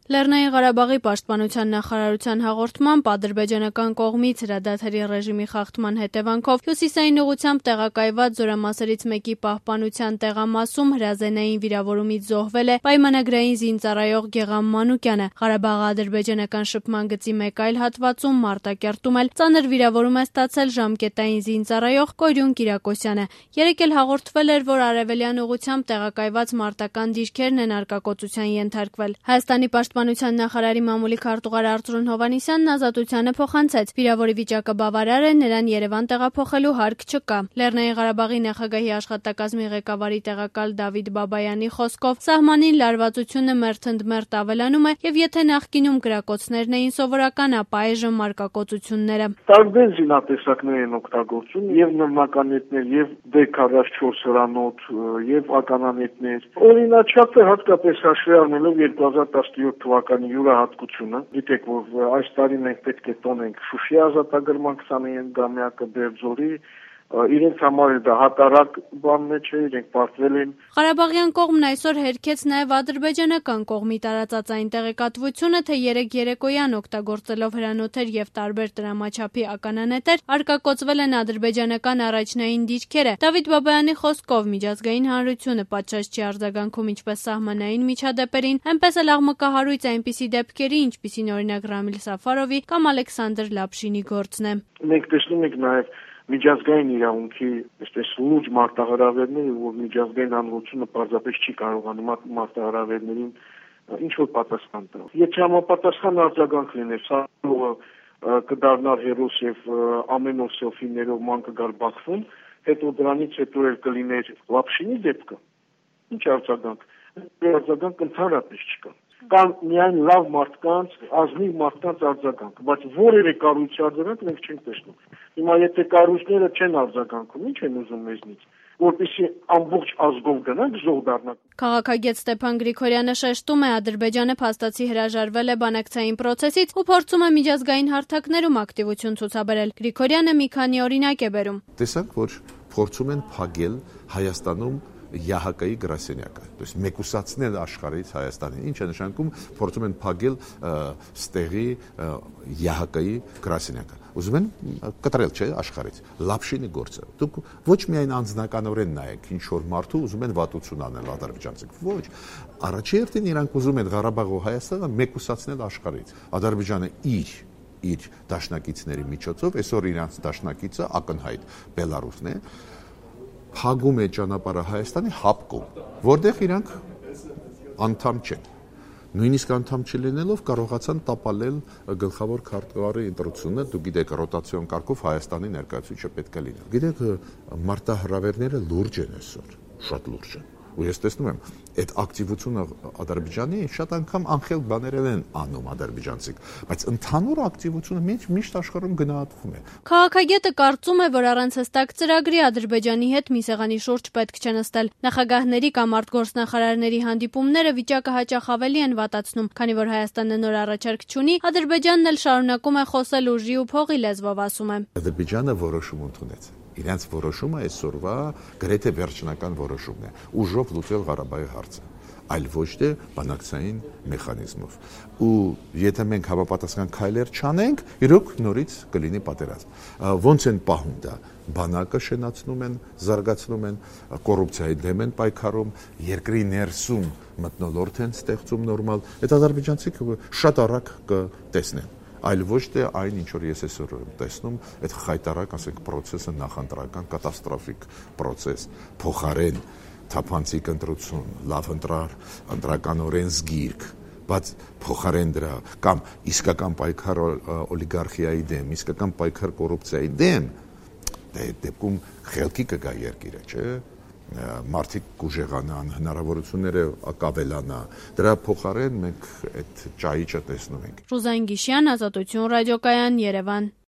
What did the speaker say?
Լեռնային Ղարաբաղի պաշտպանության նախարարության հաղորդմամբ ադրբեջանական կողմից հրադադարի ռեժիմի խախտման հետևանքով հյուսիսային ուղղությամբ տեղակայված զորամասերից մեկի պահպանության տեղամասում հրազենային վիրավորումից զոհվել է պայմանագրային զինծառայող Գեղամ Մանուկյանը։ Ղարաբաղ-ադրբեջանական շփման գծի մեկ այլ հատվածում Մարտակերտում էլ ծանր վիրավորում է ստացել ժամկետային զինծառայող Կորյուն Կիրակոսյանը։ Երեկ էլ հաղորդվել էր, որ արևելյան ուղղությամբ տեղակայված մարտական դիրքերն են արկակոծության ենթարկվել։ Հայաստանի պաշտպանության նախարարի մամուլի քարտուղար Արծրուն Հովհաննիսյանն Ազատությանը փոխանցեց. վիրավորի վիճակը բավարար է, նրան Երևան տեղափոխելու հարկ չկա։ Լեռնային Ղարաբաղի նախագահի աշխատակազմի ղեկավարի տեղակալ Դավիթ Բաբայանի խոսքով սահմանին լարվածությունը մերթընդմերթ ավելանում է, եւ եթե նախկինում կրակոցներն էին սովորական, ապա այժմ արկակոծությունները։ Տարբեր զինատեսակներ են օգտագործում, եւ նռնականետներ, եւ D44 հրանոթ, եւ ականանետներ։ Օրինաչափ է հատկապես հաշվի առնելով 2017 թվականի յուրահատկությունը, գիտեք, որ այս տարի մենք պետք է տոնենք Շուշի ազատագրման 25-ամյակը Բերձորի, իրենց համար դա հատարակ բանն չէ, իրենք պարտվել են։ Ղարաբաղյան կողմն այսօր հերքեց նաև ադրբեջանական կողմի տարածած այն տեղեկատվությունը, թե երեկ երեկոյան օգտագործելով հրանոթեր եւ տարբեր տրամաչափի ականանետեր արկակոծվել են ադրբեջանական առաջնային դիրքերը։ Դավիթ Բաբայանի խոսքով միջազգային հանրությունը պատշաճ չի արձագանքում ինչպես սահմանային միջադեպերին, այնպես էլ աղմկահարույց այնպիսի դեպքերի, ինչպիսին օրինակ Ռամիլ Սաֆարովի կամ Ալեքսանդր Լապշինի գործն է։ Մենք տեսնում ենք նաև միջազգային իրավունքի այսպես լուրջ մարտահրավերները, որ միջազգային հանրությունը պարզապես չի կարողանում մարտահրավերներին ինչ-որ պատասխան տալ։ Եթե համապատասխան արձագանք լիներ, Սարովը կդառնար հերոս եւ ամեն օր սելֆիներով ման կգար Բաքվում, հետո դրանից հետո էլ կլիներ Լապշինի դեպքը։ Ինչ արձագանք։ Արձագանք ընդհանրապես չկա։ Կան միայն լավ մարդկանց, ազնիվ մարդկանց արձագանք, բայց որևէ կառույցի արձագանք մենք չենք տեսնում։ Հիմա եթե կառույցները չեն արձագանքում, ինչ են ուզում մեզնից, որպեսզի ամբողջ ազգով գնանք զոհ դառնանք։ Քաղաքագետ Ստեփան Գրիգորյանը շեշտում է, Ադրբեջանը փաստացի հրաժարվել է բանակցային process-ից ու փորձում է միջազգային հարթակներում ակտիվություն ցուցաբերել։ Գրիգորյանը մի քանի օրինակ է բերում։ Տեսանք, որ փորձում են փակել Հայաստանում ԵԱՀԿ-ի գրասենյակը, то есть մեկուսացնել աշխարհից Հայաստանին, ինչ է նշանակում փորձում են փակել ստեղի ԵԱՀԿ-ի գրասենյակը։ Ուզում են կտրել, չէ, աշխարհից։ Լապշինի գործը։ Դուք ոչ միայն անձնականորեն նայեք, ինչ որ մարդու ուզում են վատություն անել ադրբեջանցիք, ոչ։ Առաջի հերթին իրանք ուզում են Ղարաբաղ ու Հայաստանը մեկուսացնել աշխարհից։ Ադրբեջանը իր դաշնակիցների միջոցով, այսօր իրանց դաշնակիցը ակնհայտ Բելարուսն է, փակում է ճանապարհը Հայաստանի հապկում, որտեղ իրանք անդամ չեն։ Նույնիսկ անդամ չլինելով կարողացան տապալել գլխավոր քարտուղարի ընտրությունը, դու գիտեք, ռոտացիոն կարգով Հայաստանի ներկայացուցիչը պետք է լինի։ Գիտեք, մարտահրավերները լուրջ են այսօր, շատ լուրջ են։ Ու ես տեսնում եմ, այդ ակտիվությունը Ադրբեջանի շատ անգամ անխել բաներ են անում ադրբեջանցիք, բայց ընդհանուր ակտիվությունը միշտ աշխարհում գնահատվում է։ Քաղաքագետը կարծում է, որ առանց հստակ ծրագրի Ադրբեջանի հետ մի սեղանի շուրջ պետք չէ նստել։ Նախագահների կամ արտգործնախարարների հանդիպումները վիճակը հաճախ ավելի են վատացնում, քանի որ Հայաստանը նոր առաջարկ չունի, Ադրբեջանն էլ շարունակում է խոսել ուժի ու փողի լեզվով, ասում է։ Ադրբեջանը որոշում ընդունեց։ Իրենց որոշումը այսօրվա գրեթե վերջնական որոշումն է՝ ուժով լուծել Ղարաբաղի հարցը, այլ ոչ թե բանակցային մեխանիզմով։ Ու եթե մենք համապատասխան քայլեր չանենք, իրոք նորից կլինի պատերազմ։ Ոնց են պահում դա։ Բանակը շենացնում են, զարգացնում են, կոռուպցիայի դեմ են պայքարում, երկրի ներսում մթնոլորտ են ստեղծում նորմալ։ Այդ ադրբեջանցիք շատ արագ կտեսնեն։ Այլ ոչ թե այն, ինչ որ ես այսօր եմ տեսնում, այդ խայտարակ, ասենք, process-ը նախընտրական կատաստրոֆիկ process, փոխարեն թափանցիկ ընտրություն, լավ ընտրականորեն զգիրք, բայց փոխարեն դրա կամ իսկական պայքար օլիգարխիայի դեմ, իսկական պայքար կոռուպցիայի դեմ, այդ դեպքում խելքի կգա երկիրը, չէ՞։ Մարդիկ կուժեղանան, հնարավորությունները կավելանա։ Դրա փոխարեն մենք այդ ճայիճը տեսնում ենք։ Ռուզան Գիշյան, Ազատություն ռադիոկայան, Երևան։